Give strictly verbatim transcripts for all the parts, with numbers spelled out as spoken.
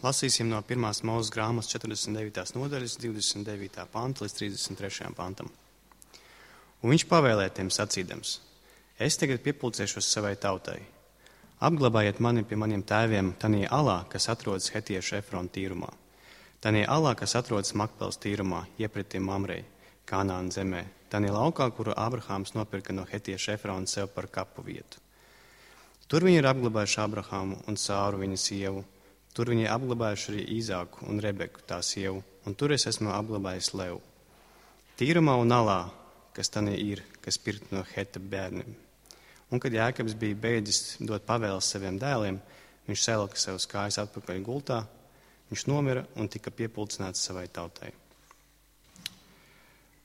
Lasīsim no pirmās Mūzes grāmatas četrdesmit devītās nodaļas, divdesmit devītā panta līdz trīsdesmit trešajam pantam. Un viņš pavēlēja tiem sacīdams: Es tagad piepulcēšos savai tautai. Apglabājiet mani pie maniem tēviem tanī alā, kas atrodas Hetiešu Efrona tīrumā. Tanī alā, kas atrodas Makpelas tīrumā, iepretim Mamrei, Kanāna zemē. Tanī laukā, kuru Abrahāms nopirka no Hetieša Efrona sev par kapu vietu. Tur viņi ir apglabājuši Abrahāmu un Sāru viņa sievu. Tur viņi ir apglabājuši arī Īzāku un Rebeku tā sievu. Un tur es esmu apglabājis Levu. Tīrumā un alā, kas tanī ir, kas pirkt no Heta bērniem. Un kad Jēkabs bija beidzis dot pavēles saviem dēliem, viņš salika savus kājas atpakaļ gultā, viņš nomira un tika piepulcināts savai tautai.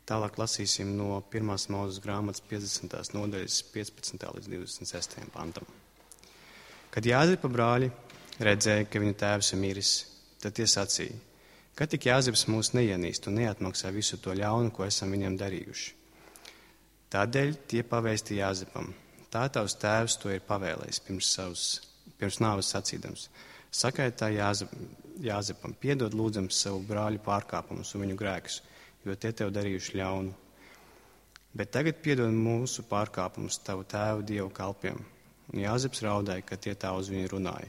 Tālāk lasīsim no pirmās Mūzes grāmatas piecdesmitās nodaļas piecpadsmitā līdz divdesmit sestajam pantam. Kad Jāzepa brāļi redzēja, ka viņa tēvs ir miris, tad tie sacīja: Kad tik Jāzeps mūs neienīst un neatmaksā visu to ļaunu, ko esam viņam darījuši. Tādēļ tie pavēsti Jāzepam: Tā tavs tēvs to ir pavēlējis pirms, savus, pirms nāves sacīdams. Sakait tā Jāzep, Jāzepam: Piedod lūdzams savu brāļu pārkāpumus un viņu grēkus, jo tie tev darījuši ļaunu. Bet tagad piedod mūsu pārkāpumus tavu tēvu dievu kalpiem. Un Jāzeps raudāja, ka tie tā uz viņu runāja.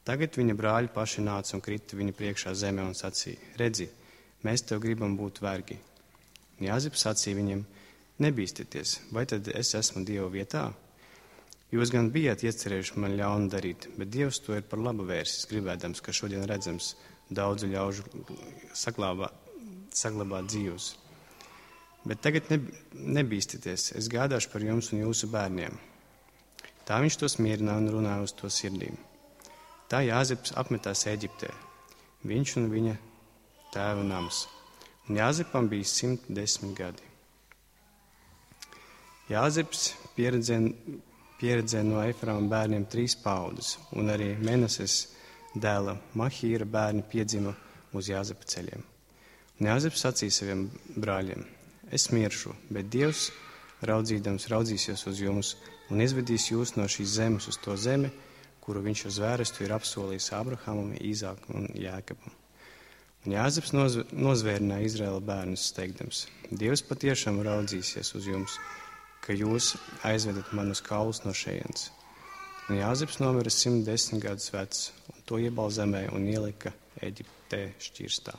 Tagad viņa brāļi paši nāca un krita viņa priekšā zemē un sacīja: Redzi, mēs tev gribam būt vergi. Un Jāzeps sacīja viņiem: Nebīsties, vai tad es esmu Dieva vietā? Jūs gan bijāt iecerējuši man ļaunu darīt, bet Dievs to ir par labu vērsis, gribēdams, ka šodien redzams daudzu ļaužu saglabā, saglabāt dzīvus. Bet tagad nebīsties, es gādāšu par jums un jūsu bērniem. Tā viņš tos mierināja un runāja uz to sirdīm. Tā Jāzeps apmetās Eģiptē, viņš un viņa tēva nams. Un Jāzepam bija simt desmit gadi. Jāzeps pieredzēja pieredzē no Efrāma bērniem trīs paudzes, un arī Menases dēla Mahīra bērni piedzima uz Jāzepa ceļiem. Un Jāzeps sacīja saviem brāļiem: Es miršu, bet Dievs, raudzīdams, raudzīsies uz jums un izvedīs jūs no šīs zemes uz to zemi, kuru viņš uz vērestu ir apsolījis Abrahamam, Īzākam un Jēkabam. Un Jāzeps noz, nozvērināja Izraēla bērnus, teikdams: Dievs patiešām raudzīsies uz jums, ka jūs aizvedat manus kaulus no šejienes. Un Jāzeps nomira simt desmit gadus vecs, un to iebalzemē un ielika Eģiptē šķirstā.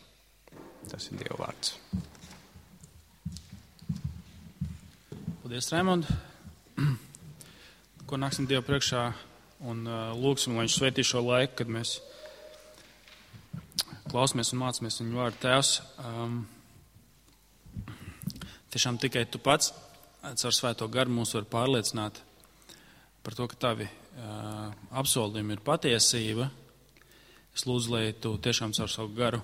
Tas ir Dieva vārds. Paldies, Raimond. Ko nāksim Dievu priekšā un uh, lūgsim, lai viņš svētī šo laiku, kad mēs klausamies un mācāmies viņu vārdu. Tēvs, um, tiešām tikai tu pats caur svēto garu mūs var pārliecināt par to, ka tavi uh, apsolījumi ir patiesība. Es lūdzu, lai tu tiešām caur savu garu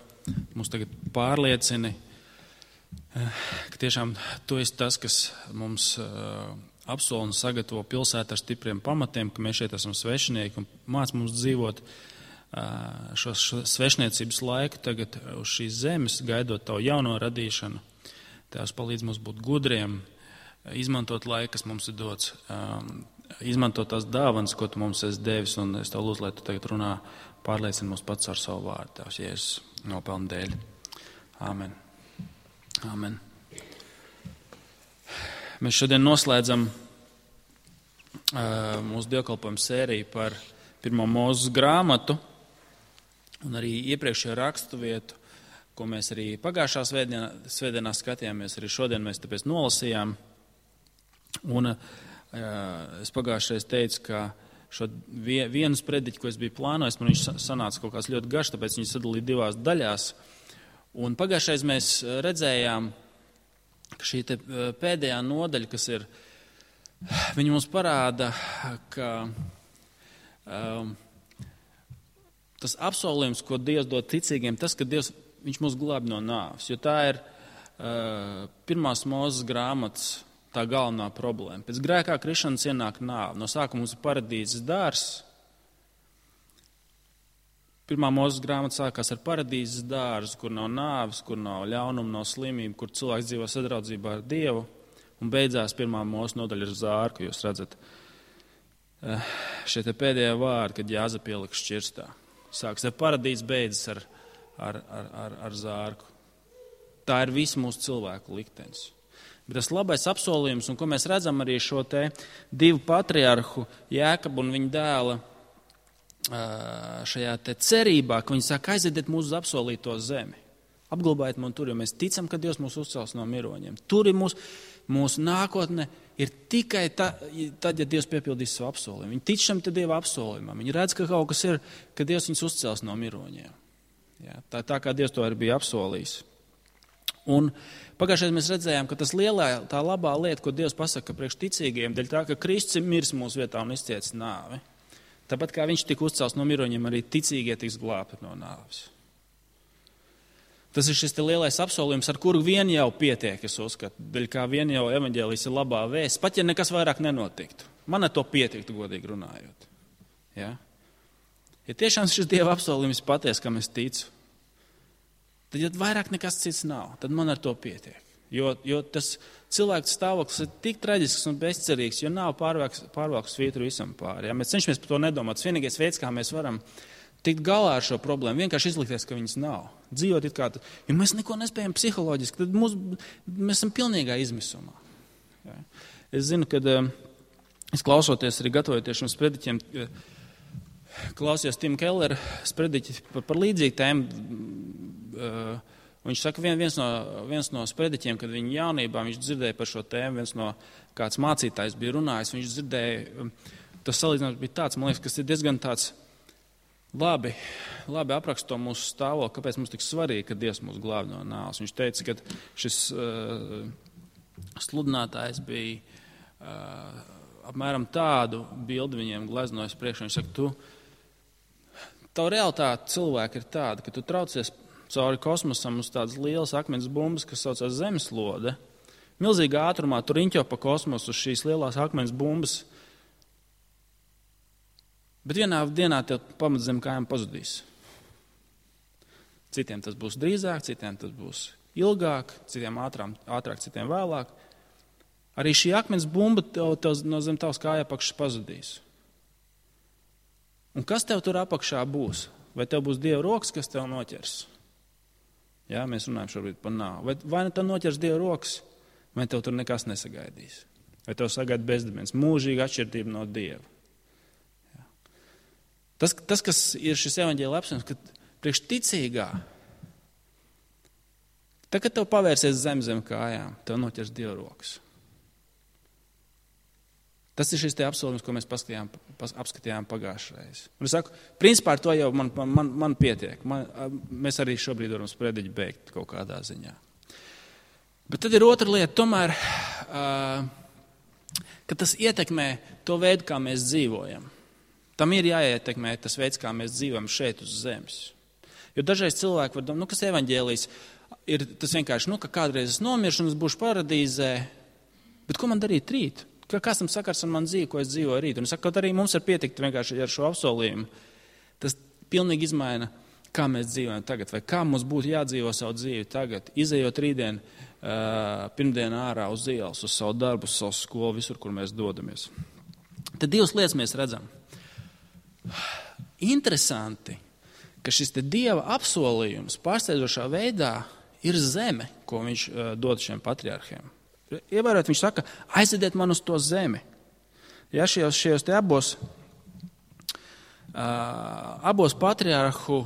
mūs tagad pārliecini, uh, ka tiešām tu esi tas, kas mums uh, apsola un sagatavo pilsētu ar stipriem pamatiem, ka mēs šeit esam svešinieki un māc mums dzīvot uh, šo, šo svešniecības laiku tagad uz šīs zemes, gaidot tavu jauno radīšanu. Tēvs, palīdz mums būt gudriem, izmantot laiku, kas mums ir dots, um, izmantot tās dāvanas, ko tu mums esi devis, un es tev lūdzu, lai tu tagad runā, pārliecini mums pats ar savu vārdu, Tēvs, Jēzus nopelnu dēļ. Āmen. Āmen. Mēs šodien noslēdzam uh, mūsu dievkalpojumu sēriju par pirmo Mūzes grāmatu, un arī iepriekšējo rakstu vietu, ko mēs arī pagājušā svētdienā, svētdienā skatījāmies, arī šodien mēs tāpēc nolasījām. Un uh, es pagājušreiz teicu, ka šo vienu sprediķi, ko es biju plānojis, man viņš sanāca kaut kāds ļoti garš, tāpēc viņš sadalīja divās daļās. Un pagājušreiz mēs redzējām, ka šī te pēdējā nodaļa, kas ir, viņa mums parāda, ka um, tas apsolījums, ko Dievs dod ticīgiem, tas, ka Dievs, viņš mūs glāb no nāves, jo tā ir uh, pirmās Mūzes grāmatas tā galvenā problēma. Pēc grēkā krišanas ienāk nāve. No sākuma mums ir paradīzes dārzs. Pirmā Mūzes grāmata sākās ar paradīzes dārzu, kur nav nāves, kur nav ļaunuma, nav slimība, kur cilvēks dzīvo sadraudzībā ar Dievu. Un beidzās pirmā Mūzes nodaļa ar zāru, ka jūs redzat šie te pēdējie vārdi, kad Jāzepa ielika šķirstā. sāks, tad paradīze beidzas ar, ar, ar, ar, ar zārku. Tā ir visa mūsu cilvēku liktenis. Bet tas labais apsolījums, un ko mēs redzam arī šo te divu patriarhu, Jēkabu un viņa dēla šajā te cerībā, ka viņi saka, aiziediet mūsu uz apsolīto zemi. Apglabājiet man tur, jo mēs ticam, ka Dievs mūs uzcels no miroņiem. Tur ir mūsu, mūsu nākotne ir tikai ta, tad, ja Dievs piepildīs savu apsolījumu. Viņi tic šam te Dieva apsolījumam. Viņi redz, ka kaut kas ir, ka Dievs viņus uzcels no miroņiem. Jā, tā, tā kā Dievs to arī bija apsolījis. Un pagājušajā mēs redzējām, ka tas lielā, tā labā lieta, ko Dievs pasaka priekš ticīgiem, dēļ tā, ka Kristus ir miris mūsu vietā un izcietis nāvi. Tāpat kā viņš tika uzcels no miroņiem, arī ticīgie tiks glābti no nāves. Tas ir šis te lielais apsolījums, ar kuru vien jau pietiek, es uzskatu, dēļ kā vien jau evaņģēlijs ir labā vēsts, pat ja nekas vairāk nenotiktu. Man ar to pietiktu, godīgi runājot. Ja? Ja tiešām šis Dieva apsolījums paties, kam es ticu, tad ja vairāk nekas cits nav, tad man ar to pietiek. Jo, jo tas cilvēks stāvoklis ir tik traģisks un bezcerīgs, jo nav pārvalku svītru visam pāri. Ja? Mēs cenšamies par to nedomāt. Tas vienīgais veids, kā mēs varam tikt galā ar šo problēmu, vienkārši izlikties, ka viņas nav. Dzīvot it kā, jo mēs neko nespējam psiholoģiski, tad mūs, mēs esam pilnīgā izmisumā. Ja? Es zinu, kad es klausoties arī gatavojoties šiem sprediķiem, klausījos Tim Keller sprediķi par, par līdzīgu tēmu. Viņš saka, viens no, viens no sprediķiem, kad viņa jaunībā viņš dzirdēja par šo tēmu, viens no kāds mācītājs bija runājis, viņš dzirdēja, tas salīdzinājums bija tāds, man liekas, kas ir diezgan tāds Labi, labi apraksto mūsu stāvokli, kāpēc mums tik svarīgi, ka Dievs mūs glāb no nāves. Viņš teica, ka šis uh, sludinātājs bija uh, apmēram tādu bildi viņiem gleznojis priekšā. Viņš saka, tu, tavu realitāte cilvēki ir tāda, ka tu traucies cauri kosmosam uz tādas lielas akmens bumbas, kas saucās zemeslode. Milzīgā ātrumā tu riņķo pa kosmosu uz šīs lielās akmens bumbas. Bet vienā dienā tev pamats zem kājām pazudīs. Citiem tas būs drīzāk, citiem tas būs ilgāk, citiem ātrāk, ātrāk citiem vēlāk. Arī šī akmens bumba tev, tev no zem tavas kāja apakšas pazudīs. Un kas tev tur apakšā būs? Vai tev būs Dieva rokas, kas tev noķers? Jā, mēs runājam šobrīd par nāvi. Vai, vai tev noķers Dieva rokas, vai tev tur nekas nesagaidīs? Vai tev sagaida bezdibens, mūžīga atšķirtība no Dieva? Tas, tas, kas ir šis evaņģēlija apsolījums, ka priekš ticīgā, tad, kad tev pavērsies zem zem kājām, tev noķers Dieva rokas. Tas ir šis te apsolījums, ko mēs paskatījām, pas, apskatījām pagājušreiz. Un es saku, principā ar to jau man, man, man pietiek. Man, mēs arī šobrīd varam sprediķi beigt kaut kādā ziņā. Bet tad ir otra lieta, tomēr, uh, ka tas ietekmē to veidu, kā mēs dzīvojam. Tam ir jāietekmē tas veids, kā mēs dzīvojam šeit uz zemes. Jo dažreiz cilvēki var domāt, nu, kas evaņģēlijs ir tas vienkārši, nu, ka kādreiz es nomiršu un es būšu paradīzē, bet ko man darīt rīt? Kas tam sakars ar man dzīvi, ko es dzīvoju rīt? Un es saku, kaut arī mums ir pietikt vienkārši ar šo apsolījumu. Tas pilnīgi izmaina, kā mēs dzīvojam tagad, vai kā mums būtu jādzīvo savu dzīvi tagad, izejot rītdien, uh, pirmdien ārā uz ielas, uz savu darbu, uz savu skolu, visur, kur mēs dodamies. Tad divas lietas mēs redzam. Interesanti, ka šis te Dieva apsolījums pārsteidzošā veidā ir zeme, ko viņš uh, dod šiem patriarhiem. Ievērot, viņš saka, aiziediet man uz to zemi. Ja šajos, šajos te abos, uh, abos patriarhu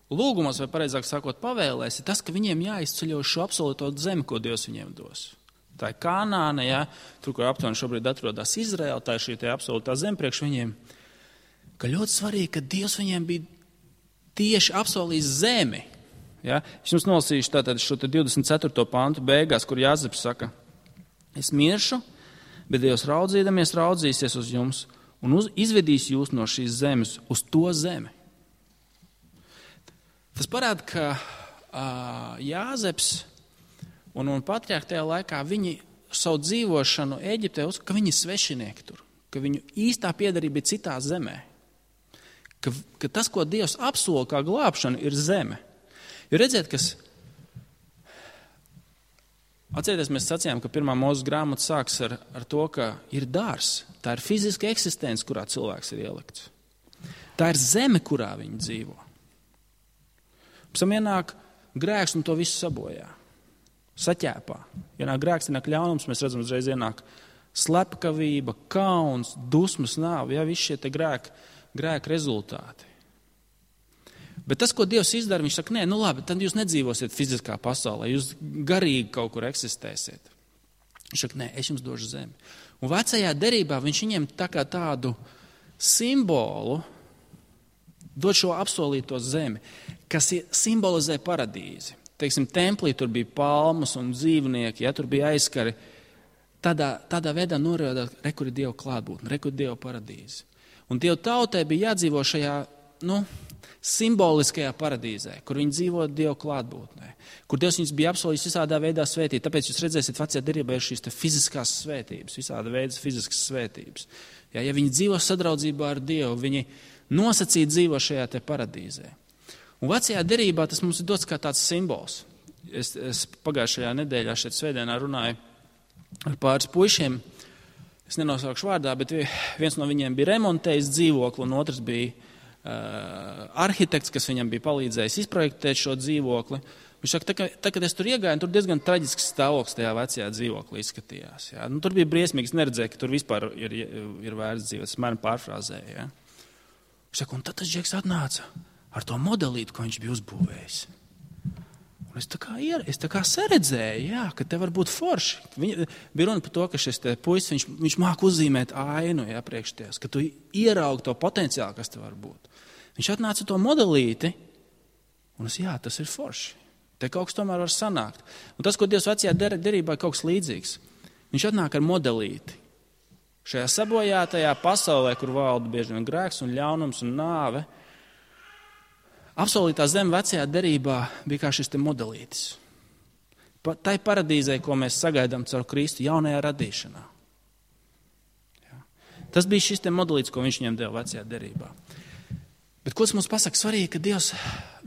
lūgumos, vai pareizāk sakot, pavēlēs, ir tas, ka viņiem jāizceļo šo apsolīto zemi, ko Dievs viņiem dos. Tā ir Kanāna, ja, tur, kur aptuveni šobrīd atrodas Izraela, tā ir šī te apsolītā zeme priekš viņiem. Ka ļoti svarīgi, ka Dievs viņiem bija tieši apsolījis zemi. Ja? Es jums nolasīšu tātad šo divdesmit ceturto pantu beigās, kur Jāzeps saka, es miršu, bet Dievs raudzīdamies raudzīsies uz jums un uz, izvedīs jūs no šīs zemes uz to zemi. Tas parāda, ka uh, Jāzeps un, un patriarhi tajā laikā viņi savu dzīvošanu Eģiptē uzskata, ka viņi ir svešinieki tur, ka viņu īstā piederība ir citā zemē. Ka, ka tas, ko Dievs apsola kā glābšana, ir zeme. Jo redziet, kas... Atcerieties, mēs sacījām, ka pirmā Mūzes grāmata sāks ar, ar to, ka ir dārs. Tā ir fiziska eksistence, kurā cilvēks ir ielikts. Tā ir zeme, kurā viņi dzīvo. Pēc tam ienāk grēks un to visu sabojā. Saķēpā. Ienāk grēks, ienāk ļaunums, mēs redzam, uzreiz ienāk slepkavība, kauns, dusmas, nāve, ja, visi šie te grēki, grēki rezultāti. Bet tas, ko Dievs izdara, viņš saka, nē, nu labi, tad jūs nedzīvosiet fiziskā pasaulē, jūs garīgi kaut kur eksistēsiet. Viņš saka, nē, es jums došu zemi. Un vecajā derībā viņš viņiem tā kā tādu simbolu dod šo apsolīto zemi, kas simbolizē paradīzi. Teiksim, templī tur bija palmas un dzīvnieki, ja tur bija aizskari. Tādā, tādā veidā norāda, re, kur ir Dieva klātbūtne, re, kur ir Dieva paradīze. Un Dieva tautai bija jādzīvo šajā, nu, simboliskajā paradīzē, kur viņi dzīvo Dieva klātbūtnē, kur Dievs viņus bija apsolījis visādā veidā svētīt. Tāpēc jūs redzēsiet, vecajā derībā ir šīs te fiziskās svētības, visāda veida fiziskas svētības. Ja, ja viņi dzīvo sadraudzībā ar Dievu, viņi nosacīti dzīvo šajā te paradīzē. Un vecajā derībā tas mums ir dots kā tāds simbols. Es, es pagājušajā nedēļā šeit svētdienā runāju ar pāris puišiem. Es nenosaukšu vārdā, bet viens no viņiem bija remontējis dzīvokli, un otrs bija uh, arhitekts, kas viņam bija palīdzējis izprojektēt šo dzīvokli. Viņš saka, tā, tā, kad es tur iegāju, tur diezgan traģisks stāvoklis tajā vecajā dzīvoklī izskatījās. Jā. Nu, tur bija briesmīgs, neredzēja, ka tur vispār ir, ir vērts dzīvot. Es mēram pārfrāzēju. Jā. Viņš saka, un tad tas džeks atnāca ar to modelīti, ko viņš bija uzbūvējis. Un es tā kā, ier, es tā kā saredzēju, jā, ka te var būt forši. Viņa, bija runa par to, ka šis te puisis, viņš, viņš māk uzzīmēt ainu, jā, priekš ties, ka tu ieraugi to potenciālu, kas te var būt. Viņš atnāca to modelīti, un es, jā, tas ir forši. Te kaut kas tomēr var sanākt. Un tas, ko Dievs vecajā derībā ir kaut kas līdzīgs. Viņš atnāk ar modelīti. Šajā sabojātajā pasaulē, kur valda bieži vien grēks un ļaunums un nāve, apsolītā zeme vecajā derībā bija kā šis te modelītis. Pa, tai paradīzē, ko mēs sagaidām caur Kristu jaunajā radīšanā. Jā. Tas bija šis te modelītis, ko viņš viņiem deva vecajā derībā. Bet ko tas mums pasaka? Svarīgi, ka Dievs,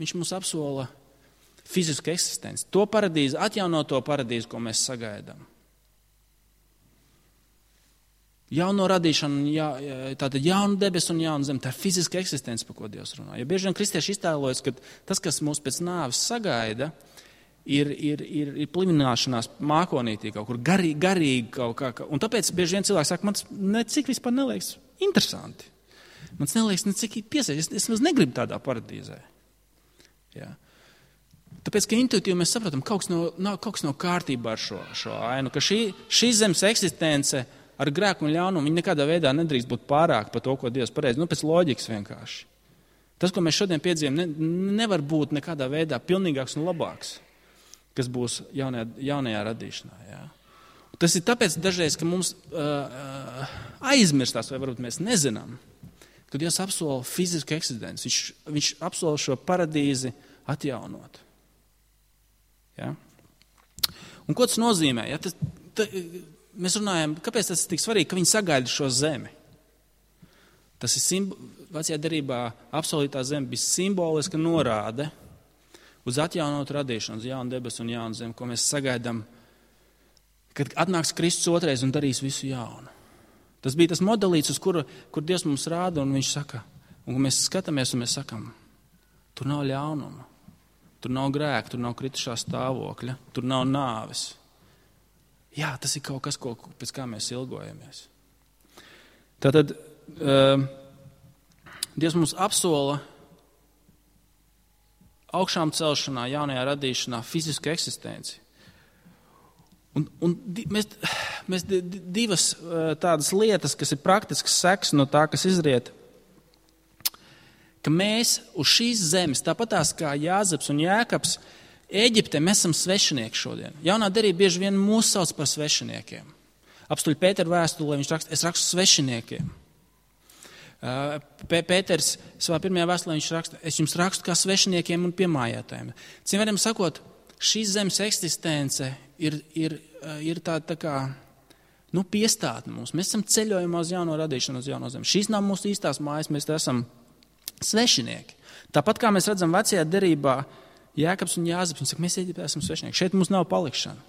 viņš mums apsola fizisku eksistenci. To paradīzi, atjaunoto paradīzi, ko mēs sagaidām. Jauno radīšanu, jā, tātad jaunu debesu un jaunu zemi, tā ir fiziska eksistence, par ko Dievs runā. Ja bieži vien kristieši iztēlojas, ka tas, kas mūs pēc nāves sagaida, ir, ir, ir, ir plimināšanās mākonītī kaut kur, garīgi, garīgi kaut kā. Un tāpēc bieži vien cilvēks saka, man necik vispār neliekas interesanti. Man neliekas necik piesaistīt, es, es negribu tādā paradīzē. Jā. Tāpēc, ka intuitīvi mēs saprotam, kaut kas nav, nav, kaut kas nav kārtībā ar šo, šo ainu, ka šī, šī zemes eksistence ar grēku un ļaunumu, viņi nekādā veidā nedrīkst būt pārāk par to, ko Dievs pareizi. Nu, pēc loģikas vienkārši. Tas, ko mēs šodien piedzīvojam, ne, nevar būt nekādā veidā pilnīgāks un labāks, kas būs jaunajā, jaunajā radīšanā. Jā. Tas ir tāpēc dažreiz, ka mums uh, aizmirstās, vai varbūt mēs nezinām, ka Dievs apsola fizisku eksistenci. Viņš, viņš apsola šo paradīzi atjaunot. Ja? Un ko tas nozīmē? Ja? Tas, ta, mēs runājam, kāpēc tas ir tik svarīgi, ka viņi sagaida šo zemi? Tas ir simbo, vecajā derībā apsolītā zeme bija simboliska norāde uz atjaunotu radīšanu, uz jaunu debesu un jaunu zemi, ko mēs sagaidām, kad atnāks Kristus otrais un darīs visu jaunu. Tas bija tas modelīts, uz kuru, kur Dievs mums rāda, un viņš saka, un mēs skatāmies un mēs sakam, tur nav ļaunuma. Tur nav grēka, tur nav kritušā stāvokļa, tur nav nāves. Jā, tas ir kaut kas, ko, pēc kā mēs ilgojamies. Tātad uh, Dievs mums apsola augšām celšanā, jaunajā radīšanā, fizisku eksistenci. Un, un di, mēs, mēs divas uh, tādas lietas, kas ir praktiskas seks no tā, kas izriet, ka mēs uz šīs zemes, tāpatās kā Jāzeps un Jēkabs, Ēģiptē mēs esam svešinieki šodien. Jaunā derība bieži vien mūs sauc par svešiniekiem. Apstuļ Pētera vēstulē viņš raksta, es rakstu svešiniekiem. Pēters savā pirmajā vēstulē viņš raksta, es jums rakstu kā svešiniekiem un piemājātājiem. Cim varam sakot, šīs zemes eksistence ir, ir, ir tā, tā kā, nu, piestātne mums. Mēs esam ceļojumā uz jauno radīšanu, uz jauno zemi. Šīs nav mūsu īstās mājas, mēs te esam svešinieki. Tāpat kā mēs redzam vecajā derībā, Jēkabs un Jāzeps, viņi saka, mēs Ēģiptē esam svešinieki. Šeit mums nav palikšana.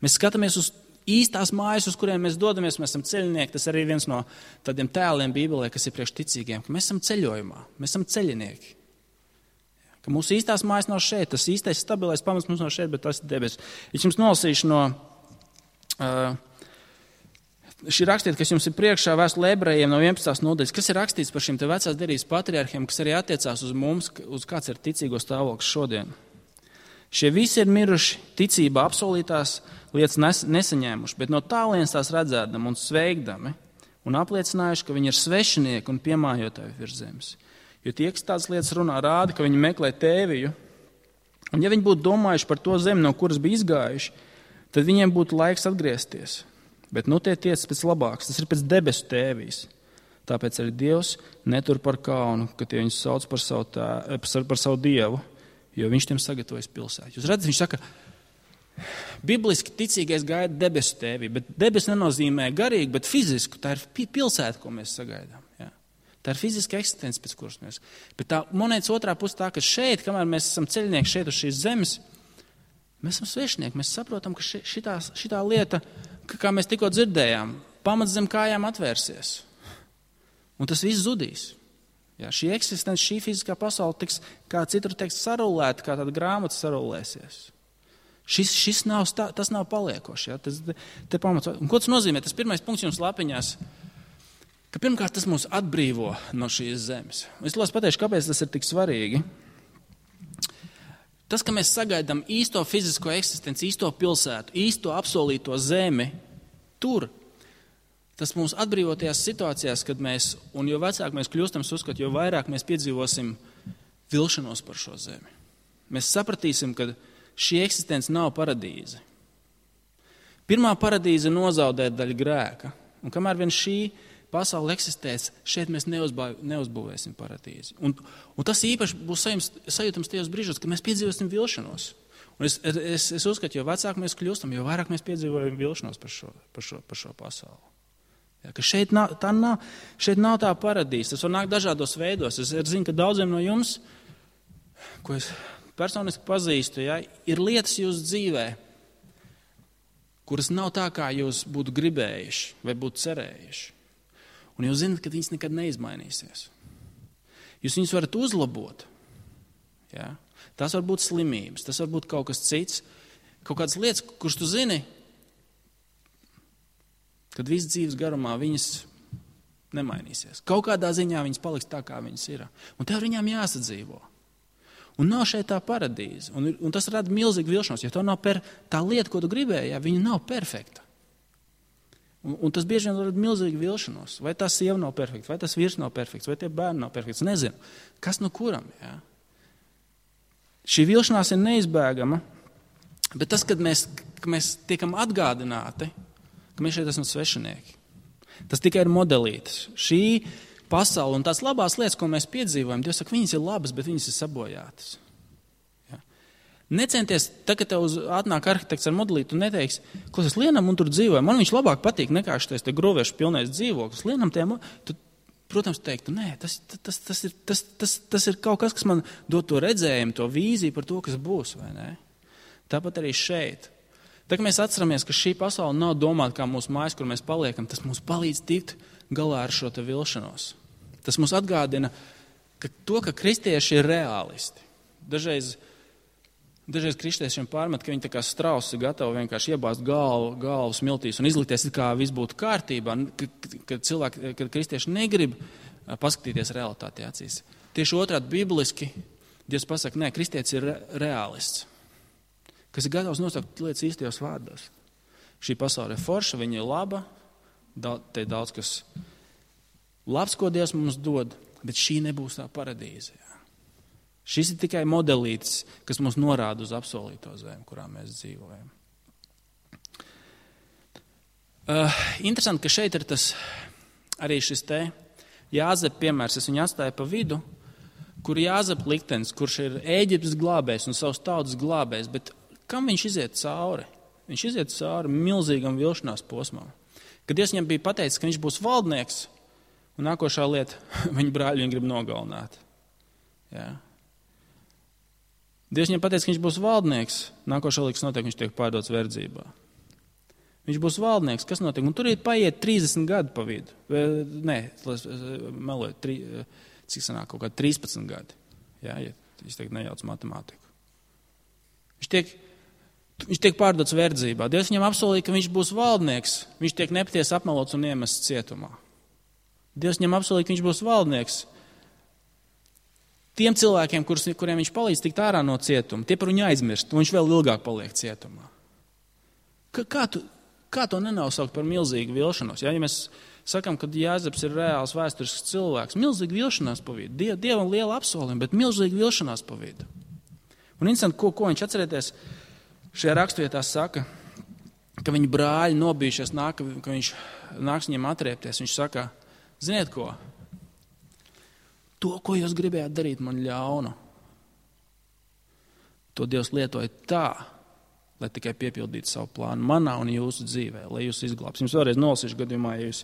Mēs skatāmies uz īstās mājas, uz kuriem mēs dodamies, mēs esam ceļinieki. Tas arī viens no tādiem tēliem Bībelē, kas ir priekš ticīgiem, ka mēs esam ceļojumā, mēs esam ceļinieki. Ka mūsu īstās mājas nav šeit, tas īstais stabilais pamats mums nav šeit, bet tas ir debesis. Es jums nolasīšu no uh, šī rakstīta, kas jums ir priekšā vēstulē Ebrejiem no vienpadsmitās nodaļas, kas ir rakstīts par šiem te vecās derības patriarhiem, kas arī attiecās uz mums, uz kāds ir ticīgo stāvoklis šodien. Šie visi ir miruši ticībā apsolītās lietas nes, nesaņēmuši, bet no tālienes tās redzēdami un sveikdami un apliecinājuši, ka viņi ir svešinieki un piemājotāji virs zemes. Jo tie, kas tādas lietas runā, rāda, ka viņi meklē tēviju, un ja viņi būtu domājuši par to zemi, no kuras bija izgājuši, tad viņiem būtu laiks atgriezties. Bet nu tie tiec pēc labāks, tas ir pēc debesu tēvijas. Tāpēc arī Dievs netur par kaunu, ka tie viņus sauc par savu, tā, par savu Dievu, jo viņš tiem sagatavojas pilsētu. Jūs redzat, viņš saka, bibliski ticīgais gaida debesu tēvī, bet debesu nenozīmē garīgi, bet fizisku. Tā ir pilsēta, ko mēs sagaidām. Jā. Tā ir fiziska eksistence, pēc kuras mēs. Bet tā monētas otrā puse tā, ka šeit, kamēr mēs esam ceļnieki šeit uz šīs zemes, mēs esam svešinieki. Mēs saprotam, ka šitā, šitā lieta, kā mēs tikko dzirdējām, pamats zem kājām atvērsies. Un tas viss zudīs. Jā, šī eksistence, šī fiziskā pasaule tiks, kā citur teiks, sarulēta, kā tāda grāmata sarulēsies. Šis, šis nav, tas nav paliekoši. Jā, tas, te pamats. Un ko tas nozīmē? Tas pirmais punkts jums lapiņās, ka pirmkārt tas mūs atbrīvo no šīs zemes. Es lūdzu pateikšu, kāpēc tas ir tik svarīgi. Tas, ka mēs sagaidām īsto fizisko eksistenci, īsto pilsētu, īsto apsolīto zemi, tur, tas mūs atbrīvo tajās situācijās, kad mēs, un jo vecāk mēs kļūstam uzskat, jo vairāk mēs piedzīvosim vilšanos par šo zemi. Mēs sapratīsim, ka šī eksistence nav paradīze. Pirmā paradīze nozaudē daļu grēka, un kamēr vien šī pasaule eksistēs, šeit mēs neuzbūvēsim paradīzi. Un, un tas īpaši būs sajūtams tajos brīžos, kad mēs piedzīvosim vilšanos. Un es, es, es uzskatu, jo vecāk mēs kļūstam, jo vairāk mēs piedzīvojam vilšanos par šo, par šo, par šo pasauli. Ja, ka šeit nav, tā nav, šeit nav tā paradīze. Tas var nākt dažādos veidos. Es zinu, ka daudziem no jums, ko es personiski pazīstu, ja, ir lietas jūsu dzīvē, kuras nav tā, kā jūs būtu gribējuši vai būtu cerējuši. Un jūs zināt, ka viņas nekad neizmainīsies. Jūs viņus varat uzlabot. Ja. Tas var būt slimības, tas var būt kaut kas cits, kaut kādas lietas, kuras tu zini, kad viss dzīves garumā viņas nemainīsies. Kaut kādā ziņā viņas paliks tā, kā viņas ir. Un tev viņām jāsadzīvo. Un nav šeit tā paradīze. Un, un tas rada milzīgu vilšanos, jo to nav per, tā lieta, ko tu gribēji, ja, viņa nav perfekta. Un, un tas bieži vien rada milzīgu vilšanos. Vai tā sieva nav perfekta, vai tas vīrs nav perfekts, vai tie bērni nav perfekts. Nezinu. Kas no kuram? Ja? Šī vilšanās ir neizbēgama, bet tas, kad mēs, kad mēs tiekam atgādināti, ka mēs šeit esam svešinieki. Tas tikai ir modelītis. Šī pasaule un tās labās lietas, ko mēs piedzīvojam, Dievs saka, viņas ir labas, bet viņas ir sabojātas. Ja. Necenties, tā, kad tev uz atnāk arhitekts ar modelīti, tu neteiksi, klausies, Lienam un tur dzīvoja, man viņš labāk patīk nekā šitais te gruviešu pilnais dzīvoklis. Lienam tiem, tu, protams, teiktu, nē, tas, tas, tas, ir, tas, tas, tas ir kaut kas, kas man dod to redzējumu, to vīziju par to, kas būs, vai ne? Tāpat arī šeit. Tā, ka mēs atceramies, ka šī pasaule nav domāta kā mūsu mājas, kur mēs paliekam, tas mums palīdz tikt galā ar šo te vilšanos. Tas mums atgādina, ka to, ka kristieši ir reālisti. Dažreiz, dažreiz kristiešiem pārmet, ka viņi tā kā strausi gatavi vienkārši iebāzt galvu, galvu smiltīs un izlikties, kā viss būtu kārtībā, kad, kad cilvēki, kad kristieši negrib paskatīties realitāti acīs. Tieši otrādi bibliski Dievs pasaka, nē, kristietis ir re, reālists, kas ir gatavs nosaukt lietas īstajos vārdos. Šī pasaule ir forša, viņa ir laba, te ir daudz, kas labs, ko Dievs mums dod, bet šī nebūs tā paradīze. Jā. Šis ir tikai modelītis, kas mums norāda uz apsolīto zemi, kurā mēs dzīvojam. Uh, interesanti, ka šeit ir tas arī šis te Jāzep piemērs, es viņu atstāju pa vidu, kur Jāzep liktenis, kurš ir Ēģiptes glābējs un savas tautas glābējs, bet kam viņš iziet cauri? Viņš iziet cauri milzīgam vilšanās posmam. Kad Dievs viņam bija pateicis, ka viņš būs valdnieks, un nākošā lieta, viņa brāļi viņu grib nogalināt. Jā. Dievs viņam pateicis, ka viņš būs valdnieks, nākošā lietas notiek, viņš tiek pārdots verdzībā. Viņš būs valdnieks, kas notiek? Un tur ir paiet trīsdesmit gadi pa vidu. Nē, meloju, tri, cik sanāk, kaut kā trīspadsmit gadi. Jā, ja es teikt nejauc matemātiku. Viņš tiek, viņš tiek pārdots verdzībā. Dievs viņam apsolīja, ka viņš būs valdnieks. Viņš tiek nepatiesi apmelots un iemests cietumā. Dievs viņam apsolīja, ka viņš būs valdnieks. Tiem cilvēkiem, kurus, kuriem viņš palīdz tikt ārā no cietuma, tie par viņu aizmirst, un viņš vēl ilgāk paliek cietumā. Kā, kā tu... Kā to nenosaukt par milzīgu vilšanos? Ja, ja mēs sakam, ka Jāzeps ir reāls vēsturisks cilvēks, milzīga vilšanās pa vidu. Die, Dievam liela apsolījuma, bet milzīga vilšanās pa vidu. Un interesanti, ko, ko viņš atcerieties, šajā rakstvietā saka, ka viņa brāļi nobijušies, nāk, ka viņš nāks viņiem atriepties. Viņš saka, ziniet ko? To, ko jūs gribējāt darīt man ļaunu, to Dievs lietoja tā, lai tikai piepildītu savu plānu manā un jūsu dzīvē, lai jūs izglābs. Jums vēlreiz nolasīšu gadījumā, ja jūs,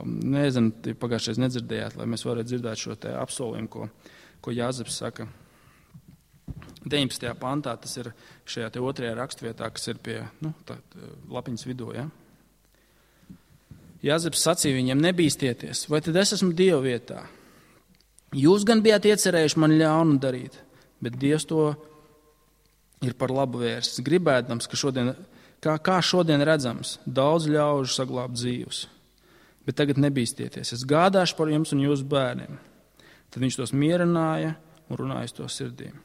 nezinu, pagājušais nedzirdējāt, lai mēs varētu dzirdēt šo te apsolījumu, ko, ko Jāzeps saka. deviņpadsmitajā pantā, tas ir šajā te otrajā rakstvietā, kas ir pie, nu, tā, lapiņas vidū, ja? Jāzeps sacīja viņiem, nebīstieties, vai tad es esmu Dieva vietā? Jūs gan bijāt iecerējuši man ļaunu darīt, bet Dievs to ir par labu vērsts, gribēdams, ka šodien, kā, kā šodien redzams, daudz ļaužu saglābt dzīvus. Bet tagad nebīstieties, es gādāšu par jums un jūsu bērniem. Tad viņš tos mierināja un runāja uz to sirdīm.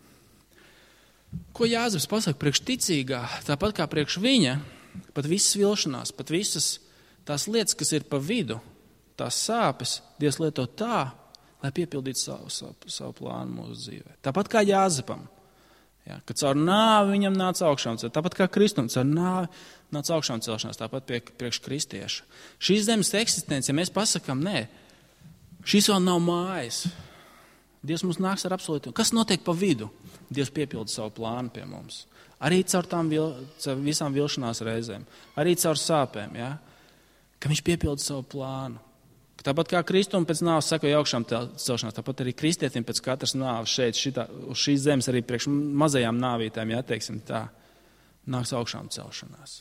Ko Jāzeps pasaka priekš ticīgā, tāpat kā priekš viņa, pat visas vilšanās, pat visas tās lietas, kas ir pa vidu, tās sāpes, Dievs lieto tā, lai piepildītu savu, savu, savu plānu mūsu dzīvē. Tāpat kā Jāzepam. Ja, kad caur nāvi viņam nāca augšām celšanās, tāpat kā Kristum, caur nāvi nāca augšām celšanās, tāpat pie, priekš kristieša. Šīs zemes eksistence, ja mēs pasakām, nē, šis vēl nav mājas. Dievs mums nāks ar apsolījumu. Kas notiek pa vidu? Dievs piepilda savu plānu pie mums. Arī caur tām vil, caur visām vilšanās reizēm, arī caur sāpēm, ja, ka viņš piepilda savu plānu. Tāpat kā Kristum pēc nāves sekoja augšām celšanās, tāpat arī kristietim pēc katras nāves šeit, šitā, uz šīs zemes arī priekš mazajām nāvītēm, ja teiksim tā, nāks augšām celšanās.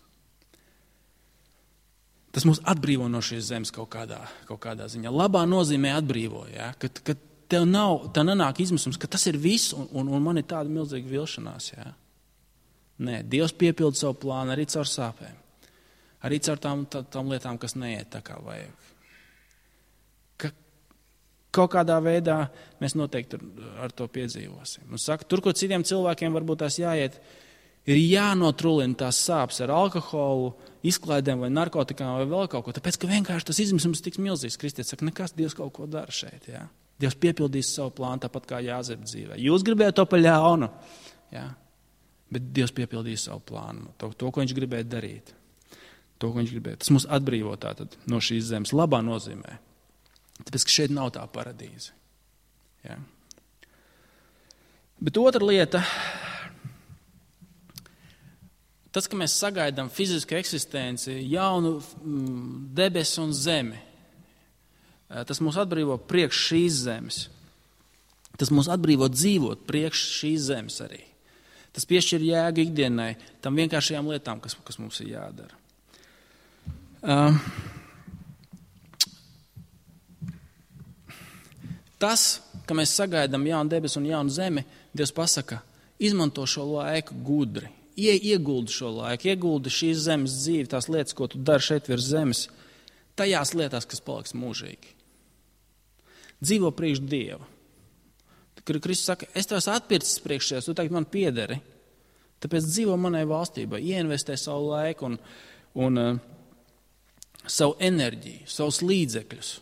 Tas mūs atbrīvo no šīs zemes kaut kādā, kaut kādā ziņā. Labā nozīmē atbrīvo, ja, ka, ka tev nav, tev nenāk izmisums, ka tas ir viss un, un, un man ir tāda milzīga vilšanās, ja. Nē, Dievs piepilda savu plānu arī caur sāpēm, arī caur tām, tā, tām lietām, kas neiet tā kā vajag. Kaut kādā veidā mēs noteikti ar to piedzīvosim. Un saka, tur, kur citiem cilvēkiem varbūt tās jāiet, ir jānotrulina tās sāpes ar alkoholu, izklaidēm vai narkotikām vai vēl kaut ko, tāpēc, ka vienkārši tas izmisums tiks milzīgs. Kristietis saka, nekas, Dievs kaut ko dara šeit. Ja? Dievs piepildīs savu plānu tāpat kā Jāzepa dzīvē. Jūs gribējāt to pa ļaunu, ja? Bet Dievs piepildīs savu plānu, to, to, ko viņš gribēja darīt. To, ko viņš gribēja. Tas mūs atbrīvo tātad no šīs zemes labā nozīmē. Tāpēc, ka šeit nav tā paradīze. Ja? Bet otra lieta, tas, ka mēs sagaidām fizisku eksistenci, jaunu debesu un zemi, tas mūs atbrīvo priekš šīs zemes. Tas mūs atbrīvo dzīvot priekš šīs zemes arī. Tas piešķir jēgu ikdienai, tam vienkāršajām lietām, kas, kas mums ir jādara. Uh, Tas, ka mēs sagaidām jaunu debesu un jaunu zemi, Dievs pasaka, izmanto šo laiku gudri, Ie, ieguldi šo laiku, ieguldi šīs zemes dzīvi, tās lietas, ko tu dari šeit virs zemes, tajās lietās, kas paliks mūžīgi. Dzīvo priekš Dieva. Kristus saka, es tās atpircis priekšies, tu tagad man piederi, tāpēc dzīvo manai valstībai, ieinvestē savu laiku un, un uh, savu enerģiju, savus līdzekļus.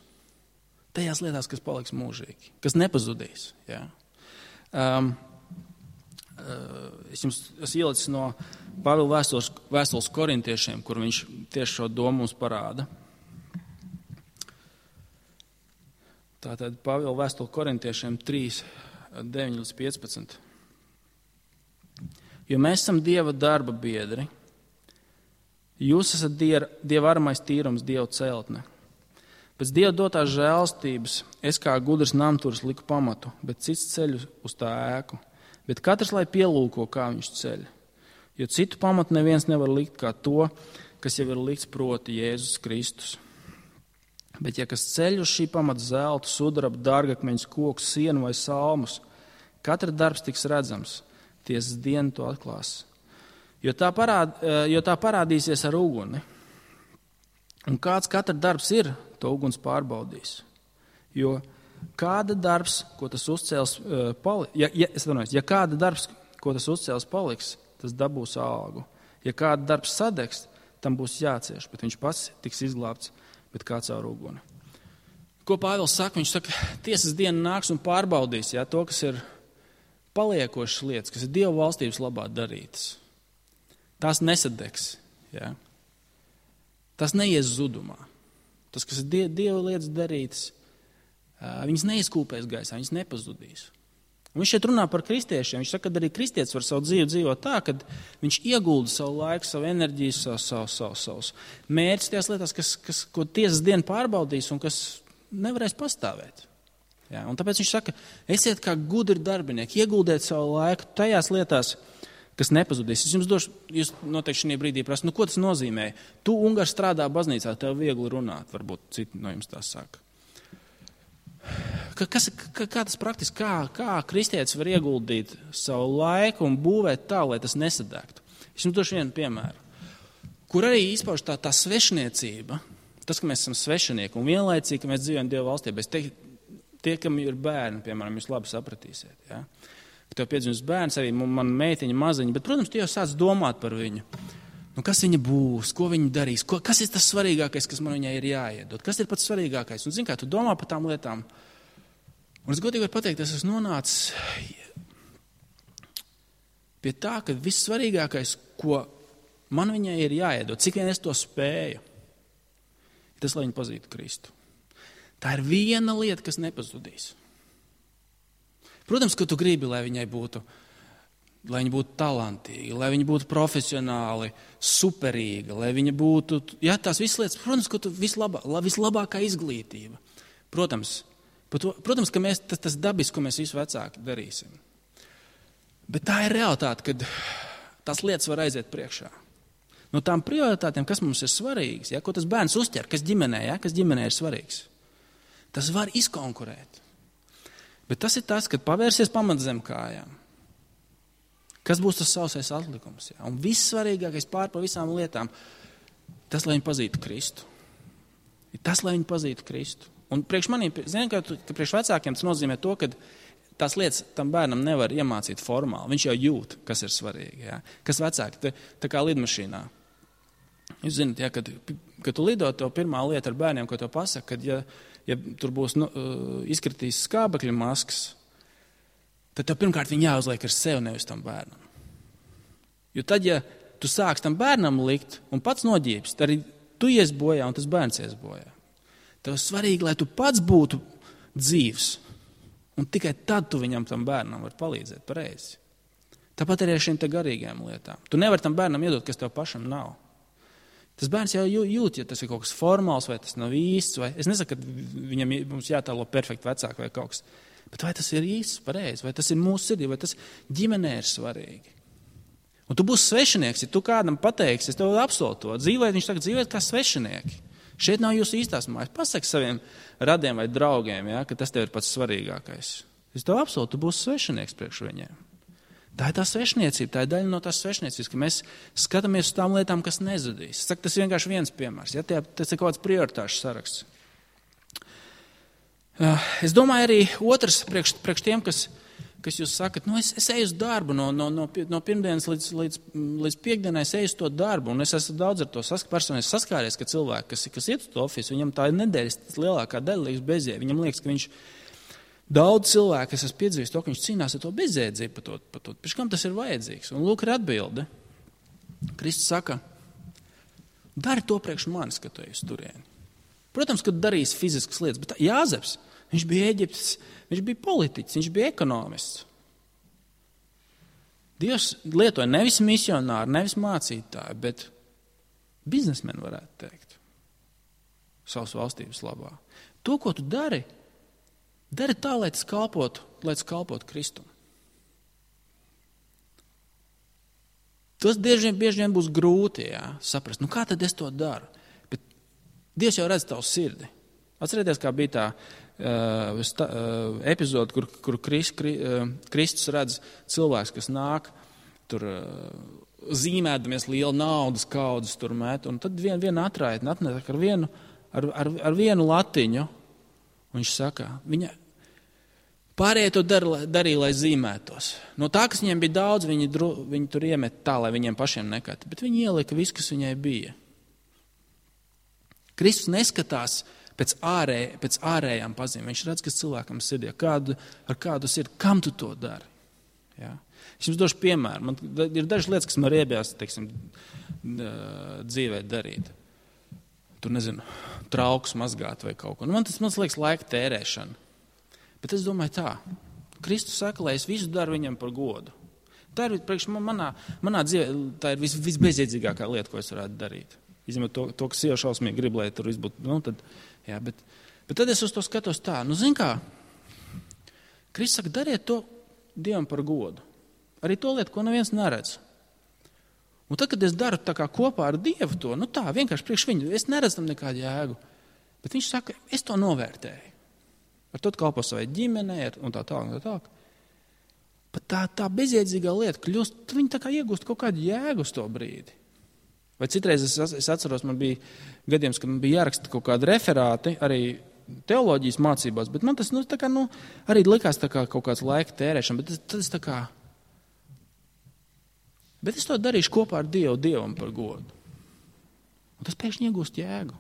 Tajās lietās, kas paliks mūžīgi, kas nepazudīs. Ja? Um, uh, es jums esmu ielicis no Pāvila vēstules, vēstules korintiešiem, kur viņš tieši šo domu mums parāda. Tātad Pāvila vēstule korintiešiem trīs, deviņi līdz piecpadsmit. Jo mēs esam Dieva darba biedri, jūs esat Dieva, Dieva armais tīrums, Dieva celtne. Pēc Dieva dotās žēlstības es kā gudrs namturis liku pamatu, bet cits ceļu uz tā ēku. Bet katrs, lai pielūko, kā viņš ceļ. Jo citu pamatu neviens nevar likt kā to, kas jau ir likts proti Jēzus Kristus. Bet ja kas ceļ uz šī pamata zeltu, sudrabu, dārgakmeņus, kokus, sienu vai salmus, katra darbs tiks redzams, tiesas diena to atklās. Jo tā, parād, jo tā parādīsies ar uguni. Un kāds katra darbs ir, to uguns pārbaudīs. Jo kāda darbs, ko tas uzcēls, pali, ja, ja, es domāju, ja kāda darbs, ko tas uzcēls paliks, tas dabūs algu. Ja kāda darbs sadegs, tam būs jācieš, bet viņš pats tiks izglābts, bet kā caur uguni. Ko Pāvils saka? Viņš saka, tiesas diena nāks un pārbaudīs, ja, to, kas ir paliekošas lietas, kas ir Dieva valstības labā darītas. Tās nesadegs. Ja. Tas neies zudumā. Tas, kas ir die, Dieva lietas darītas, viņas neizkūpēs gaisā, viņas nepazudīs. Un viņš šeit runā par kristiešiem. Viņš saka, ka arī kristietis var savu dzīvi dzīvot tā, ka viņš iegulda savu laiku, savu enerģiju, savu, savu, savu, savus mērķus tajās lietās, kas, kas, ko tiesas diena pārbaudīs un kas nevarēs pastāvēt. Ja, un tāpēc viņš saka, esiet kā gudri darbinieki, ieguldiet savu laiku tajās lietās, kas nepazudīs. Es jums došu, jūs noteikti šajā brīdī prasa, nu ko tas nozīmē? Tu, Ungars, strādā baznīcā, tev viegli runāt, varbūt citi no jums tā saka. Kas, kā, kā tas praktiski, kā, kā kristietis var ieguldīt savu laiku un būvēt tā, lai tas nesadegtu? Es jums došu vienu piemēru, kur arī izpauž tā, tā svešniecība, tas, ka mēs esam svešinieki un vienlaicīgi, ka mēs dzīvojam Dieva valstībā. Es teiktu, tie, kam ir bērni, piemēram, jūs labi sapratīsiet, ja? Ka tev piedzimis bērns, arī man meitiņa maziņa, bet, protams, tu jau sāc domāt par viņu. Nu, kas viņa būs, ko viņa darīs, ko, kas ir tas svarīgākais, kas man viņai ir jāiedod, kas ir pats svarīgākais. Un, zin kā, tu domā par tām lietām. Un es godīgi varu pateikt, es esmu nonācis pie tā, ka viss svarīgākais, ko man viņai ir jāiedod, cik vien es to spēju, tas, lai viņa pazītu Kristu. Tā ir viena lieta, kas nepazudīs. Protams, ka tu gribi, lai viņai būtu, lai viņa būtu talantīga, lai viņa būtu profesionāli, superīga, lai viņa būtu, jā, tās visas lietas, protams, ka tu vislabā, vislabākā izglītība. Protams, to, protams, ka mēs, tas, tas dabis, ko mēs visu vecāki darīsim. Bet tā ir realitāte, kad tās lietas var aiziet priekšā. No tām prioritātēm, kas mums ir svarīgas, ja, ko tas bērns uztver, kas ģimenē, ja, kas ģimenē ir svarīgs, tas var izkonkurēt. Bet tas ir tas, kad pavērsies pamat zem kājām. Kas būs tas sausais atlikums? Ja? Un viss svarīgākais pār pa visām lietām, tas, lai viņi pazītu Kristu. Ir tas, lai viņi pazītu Kristu. Un priekš maniem, zinu, ka, ka priekš vecākiem tas nozīmē to, ka tās lietas tam bērnam nevar iemācīt formāli. Viņš jau jūt, kas ir svarīgi. Ja? Kas vecāki, tā, tā kā lidmašīnā. Jūs zināt, ja, kad, kad tu lido, to pirmā lieta ar bērniem, ko tev pasaka, kad ja, ja tur būs nu, izkritīs skābekļa maskas, tad tev pirmkārt viņi jāuzliek ar sevi, nevis tam bērnam. Jo tad, ja tu sāks tam bērnam likt un pats noģības, tad arī tu ies bojā un tas bērns ies bojā. Tev svarīgi, lai tu pats būtu dzīvs, un tikai tad tu viņam tam bērnam var palīdzēt pareizi. Tāpat arī ar šīm te garīgajām lietām. Tu nevari tam bērnam iedot, kas tev pašam nav. Tas bērns jau jūt, ja tas ir kaut kas formāls, vai tas nav īsts, vai es nesaku, ka viņam mums jātālo perfekti vecāki vai kaut kas, bet vai tas ir īsts, pareizi, vai tas ir mūsu sirdī, vai tas ģimenē ir svarīgi. Un tu būsi svešinieks, ja tu kādam pateiksi, es tev apsolu to, dzīvēt, viņš saka, dzīvēt kā svešinieki. Šeit nav jūsu īstās mājas. Pasaki saviem radiem vai draugiem, ja, ka tas tev ir pats svarīgākais. Es tev apsolu, tu būsi svešinieks priekš viņiem. Tā ir tā svešniecība, tā ir daļa no tās svešniecības, ka mēs skatāmies uz tām lietām, kas nezudīs. Es saku, tas ir vienkārši viens piemērs, ja tie, tas ir kaut kāds prioritāšu saraksts. Es domāju arī otrs priekš, priekš tiem, kas, kas jūs sakat, nu es, es eju uz darbu no, no, no, no pirmdienas līdz, līdz, līdz piekdienai, es eju uz to darbu, un es esmu daudz ar to sask, personīgi saskāries, ka cilvēki, kas, kas iet uz to ofisu, viņam tā ir nedēļas lielākā daļa liekas bezjē, viņam liekas, ka viņš daudz cilvēku, kas esmu piedzīvojis to, ka viņš cīnās ar to bezjēdzību par to, par to. Pēc kam tas ir vajadzīgs? Un lūk, ir atbilde. Kristus saka, dari to priekš manis, ka tu ej uz turieni. Protams, ka darīs fiziskas lietas, bet Jāzeps, viņš bija Eģiptes, viņš bija politiķis, viņš bija ekonomists. Dievs lietoja nevis misionāru, nevis mācītāju, bet biznesmeni varētu teikt. Savas valstības labā. To, ko tu dari, dari tā, lai tas kalpotu, lai tas kalpotu Kristum. Tas bieži, bieži vien būs grūti, jā, saprast, nu kā tad es to daru? Bet Dievs jau redz tavu sirdi. Atcerieties, kā bija tā uh, sta, uh, epizode, kur, kur Krist, kri, uh, Kristus redz cilvēks, kas nāk, tur uh, zīmēdamies lielu naudas kaudzes tur met, un tad vien, viena atraitne atnāk ar vienu, ar, ar, ar vienu latiņu, un viņš saka, viņa pārējie to dar, darīja, lai zīmētos. No tā, kas viņiem bija daudz, viņi, dru, viņi tur iemet tā, lai viņiem pašiem nekati, bet viņi ielika visu, kas viņai bija. Kristus neskatās pēc, ārē, pēc ārējām pazīmēm. Viņš redz, kas cilvēkam sirdī, kādu, ar kādu sirdi, kam tu to dari. Ja? Es jums došu piemēru. Man ir dažas lietas, kas man riebjās, teiksim, dzīvē darīt. Tur, nezinu, traukus mazgāt vai kaut ko. Nu, man tas, man liekas, laika tērēšana. Bet es domāju tā. Kristus saka, lai es visu daru viņam par godu. Tā ir priekš manā, manā dzīvē, tā ir vis, visbezjēdzīgākā lieta, ko es varētu darīt. Izņemot to, to, kas sieva šausmīgi grib, lai tur viss būtu. Nu, tad, jā, bet, bet tad es uz to skatos tā. Nu, zin kā, Kristus saka, dariet to Dievam par godu. Arī to lietu, ko neviens neredz. Un tad, kad es daru tā kā kopā ar Dievu to, nu tā, vienkārši priekš viņu, es neredzu tam nekādu jēgu. Bet viņš saka, es to novērtēju. Ar to kalpo savai ģimenei un tā tā un tā tā. Bet tā, tā bezjēdzīgā lieta kļūst, viņi tā kā iegūst kaut kādu jēgu uz to brīdi. Vai citreiz es, es atceros, man bija gadījums, kad man bija jāraksta kaut kādi referāti, arī teoloģijas mācībās, bet man tas, nu, tā kā, nu, arī likās tā kā kaut kāds laika tērēšana, bet tad es tā kā, bet es to darīšu kopā ar Dievu, Dievam par godu. Un tas pēkšņi iegūst jēgu.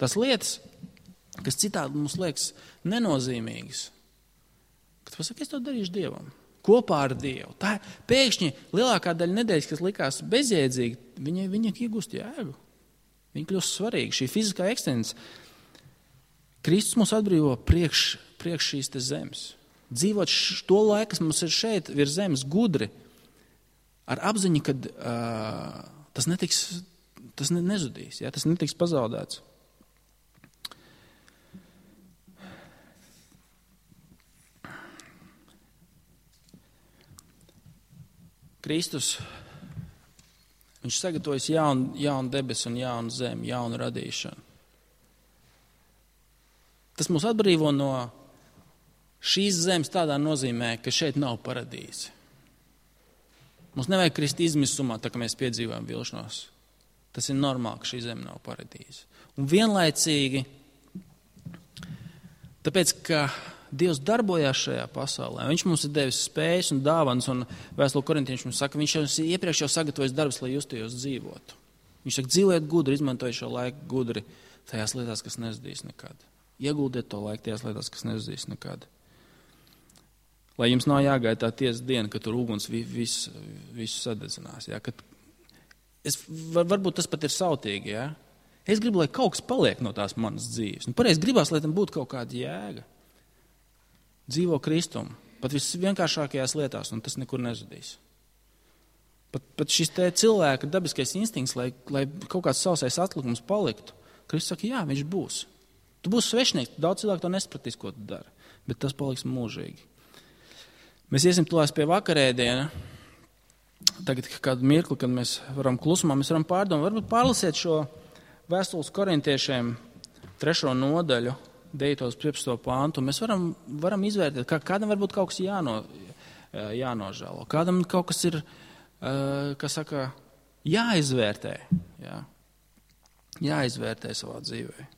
Tas lietas, kas citādi mums liekas nenozīmīgas, kad pasaka, es to darīšu Dievam, kopā ar Dievu. Tā pēkšņi lielākā daļa nedēļas, kas likās bezjēdzīgi, viņa, viņa iegūst jēgu. Viņa kļūst svarīga. Šī fiziskā ekstence. Kristus mūs atbrīvo priekš, priekš šīs te zemes. Dzīvot to laiku, kas mums ir šeit, virs zemes gudri, ar apziņu, kad uh, tas netiks, tas ne, nezudīs, ja? Tas netiks pazaudēts. Kristus, viņš sagatavojas jaunu, jaunu debesu un jaunu zemi, jaunu radīšanu. Tas mūs atbrīvo no šīs zemes tādā nozīmē, ka šeit nav paradīze. Mums nevajag krist izmisumā, tā kā mēs piedzīvojam vilšanos. Tas ir normāli, ka šī zeme nav paradīze. Un vienlaicīgi, tāpēc, ka Dievs darbojās šajā pasaulē. Viņš mums ir devis spējas un dāvanas, un vēstule Korintiešiem mums saka, viņš jau iepriekš jau sagatavojas darbs, lai justajos dzīvotu. Viņš saka, dzīvojiet gudri, izmantojiet šo laiku gudri tajās lietās, kas nezudīs nekad. Ieguldiet to laiku tajās lietās, kas nezudīs nekad. Lai jums nav jāgaida tā tiesas diena, ka tur uguns visu, visu sadedzinās. Ja? Kad es, var, varbūt tas pat ir sautīgi. Ja? Es gribu, lai kaut kas paliek no tās manas dzīves. Nu, pareiz gribās, lai tam būtu kaut kāda jēga. Dzīvo Kristumu, pat visvienkāršākajās lietās, un tas nekur nezudīs. Pat, pat šis te cilvēka dabiskais instinkts, lai, lai kaut kāds sausais atlikums paliktu, Kristus saka, jā, viņš būs. Tu būsi svešnieks, daudz cilvēku to nespratīs, ko tu dari, bet tas paliks mūžīgi. Mēs iesim tulās pie vakarēdiena. Tagad kādu mirkli, kad mēs varam klusumā, mēs varam pārdomāt, varbūt pārlasiet šo vēstules korintiešiem trešo nodaļu, deviņos piecpadsmito pāntu, mēs varam, varam izvērtēt, kā kādam varbūt kaut kas jāno, jānožēlo, kādam kaut kas ir, kā saka, jāizvērtē, jā, jāizvērtē savā dzīvē.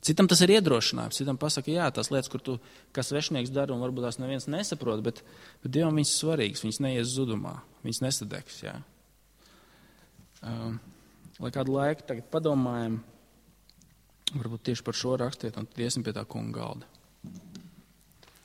Citam tas ir iedrošinājums, citam pasaka, jā, tās lietas, kur tu, kā svešnieks dara, un varbūt tās neviens nesaprot, bet, bet Dievam viņas svarīgas, viņas neies zudumā, viņas nesadegs, jā. Um, lai kādu laiku tagad padomājam, varbūt tieši par šo rakstiet, un tad iesim pie tā kunga galda.